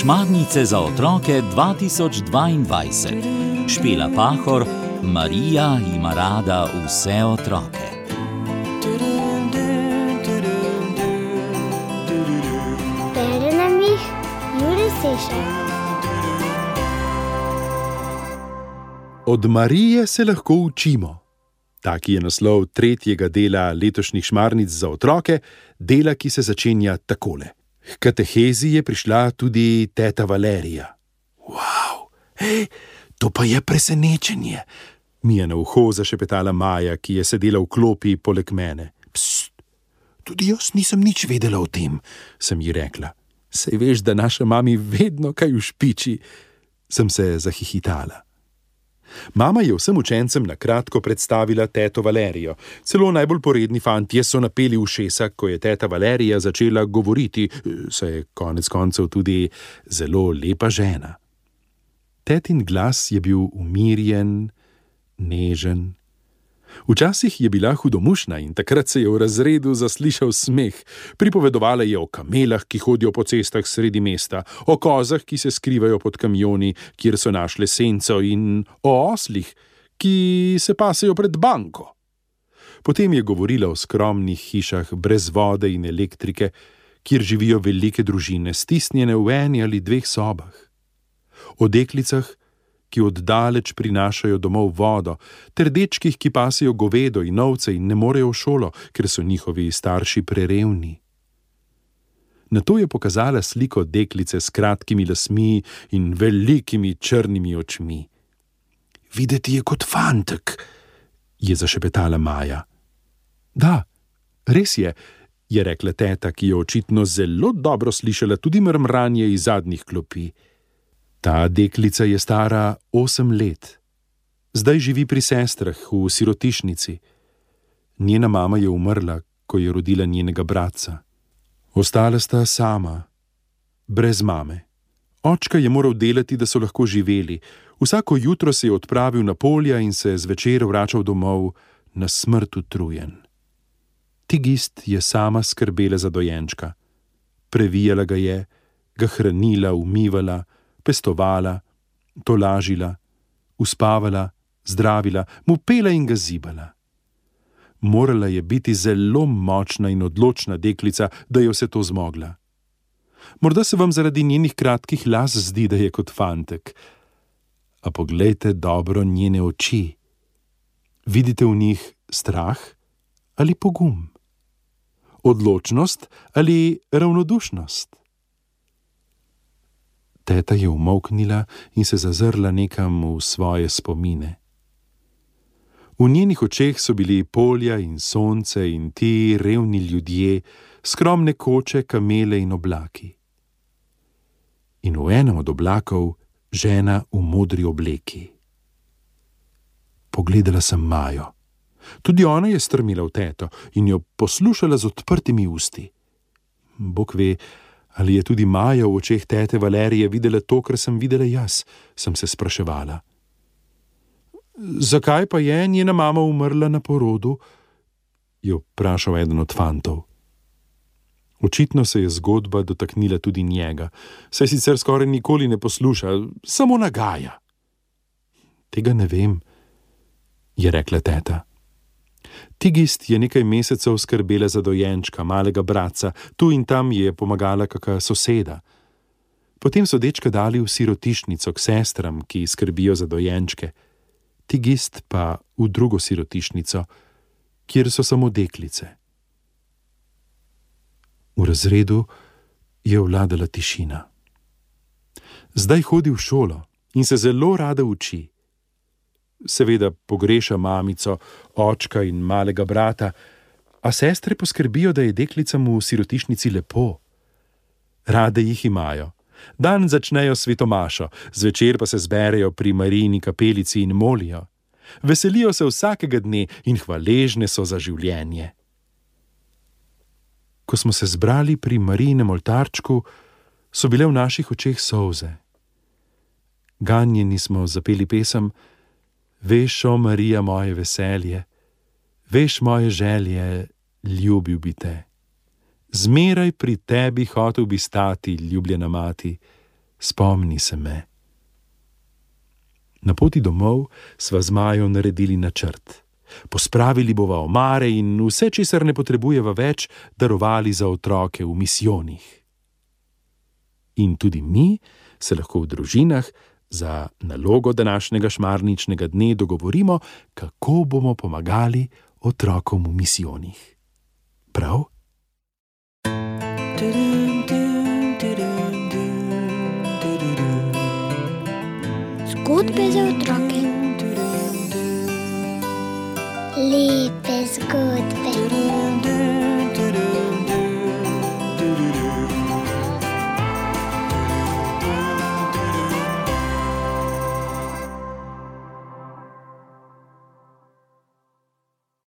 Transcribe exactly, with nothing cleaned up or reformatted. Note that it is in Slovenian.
Šmarnice za otroke dva tisoč dvaindvajset. Špela Pahor, Marija ima rada vse otroke. Bere nam jih Jure Sešar. Od Marije se lahko učimo. Taki je naslov tretjega dela letošnjih Šmarnic za otroke, dela, ki se začenja takole. H katehezi je prišla tudi teta Valerija. Wow, hej, to pa je presenečenje, mi je na uho zašepetala Maja, ki je sedela v klopi poleg mene. Pst, tudi jaz nisem nič vedela o tem, sem ji rekla. Saj veš, da naša mami vedno kaj ušpiči, sem se zahihitala. Mama je vsem učencem na kratko predstavila teto Valerijo. Celo najbolj poredni fantje so napeli ušesa, ko je teta Valerija začela govoriti, saj je konec koncev tudi zelo lepa žena. Tetin glas je bil umirjen, nežen. Včasih je bila hudomušna in takrat se je v razredu zaslišal smeh. Pripovedovala je o kamelah, ki hodijo po cestah sredi mesta, o kozah, ki se skrivajo pod kamioni, kjer so našle senco, in o oslih, ki se pasejo pred banko. Potem je govorila o skromnih hišah brez vode in elektrike, kjer živijo velike družine, stisnjene v eni ali dveh sobah. O deklicah, ki oddaleč prinašajo domov vodo, ter dečkih, ki pasejo govedo in ovce in ne morejo v šolo, ker so njihovi starši prerevni. Nato je pokazala sliko deklice s kratkimi lasmi in velikimi črnimi očmi. Videti je kot fantek, je zašepetala Maja. Da, res je, je rekla teta, ki je očitno zelo dobro slišala tudi mrmranje iz zadnjih klopi. Ta deklica je stara osem let. Zdaj živi pri sestrah v sirotišnici. Njena mama je umrla, ko je rodila njenega bratca. Ostala sta sama, brez mame. Očka je moral delati, da so lahko živeli. Vsako jutro se je odpravil na polja in se zvečer vračal domov na smrt utrujen. Tigist je sama skrbela za dojenčka. Previjala ga je, ga hranila, umivala, pestovala, tolažila, uspavala, zdravila, mu pela in ga zibala. Morala je biti zelo močna in odločna deklica, da je vse to zmogla. Morda se vam zaradi njenih kratkih las zdi, da je kot fantek. A poglejte dobro njene oči. Vidite v njih strah ali pogum? Odločnost ali ravnodušnost? Teta je umolknila in se zazrla nekam v svoje spomine. V njenih očeh so bili polja in sonce in ti revni ljudje, skromne koče, kamele in oblaki. In v enem od oblakov žena v modri obleki. Pogledala sem Majo. Tudi ona je strmila v teto in jo poslušala z odprtimi usti. Bog ve, ali je tudi Maja v očeh tete Valerije videla to, kar sem videla jaz, sem se spraševala. Zakaj pa je njena mama umrla na porodu? Je vprašal eden od fantov. Očitno se je zgodba dotaknila tudi njega, saj sicer skoraj nikoli ne posluša, samo nagaja. Tega ne vem, je rekla teta. Tigist je nekaj mesecev skrbela za dojenčka, malega bratca, tu in tam je pomagala kaka soseda. Potem so dečka dali v sirotišnico k sestram, ki skrbijo za dojenčke. Tigist pa v drugo sirotišnico, kjer so samo deklice. V razredu je vladala tišina. Zdaj hodi v šolo in se zelo rada uči. Seveda pogreša mamico, očka in malega brata, a sestre poskrbijo, da je deklicam v sirotišnici lepo. Rade jih imajo. Dan začnejo svetomašo, zvečer pa se zberejo pri Marijini kapelici in molijo. Veselijo se vsakega dne in hvaležne so za življenje. Ko smo se zbrali pri Marijinem oltarčku, so bile v naših očeh solze. Ganjeni smo zapeli pesem Veš, o Marija, moje veselje, veš moje želje, ljubil bi te. Zmeraj pri tebi hotel bi stati, ljubljena mati, spomni se me. Na poti domov sva z Majo naredili načrt. Pospravili bova omare in vse, česar ne potrebujeva več, darovali za otroke v misijonih. In tudi mi se lahko v družinah za nalogo današnjega šmarničnega dne dogovorimo, kako bomo pomagali otrokom v misijonih. Prav? Zgodbe za otroke. Lepe zgodbe.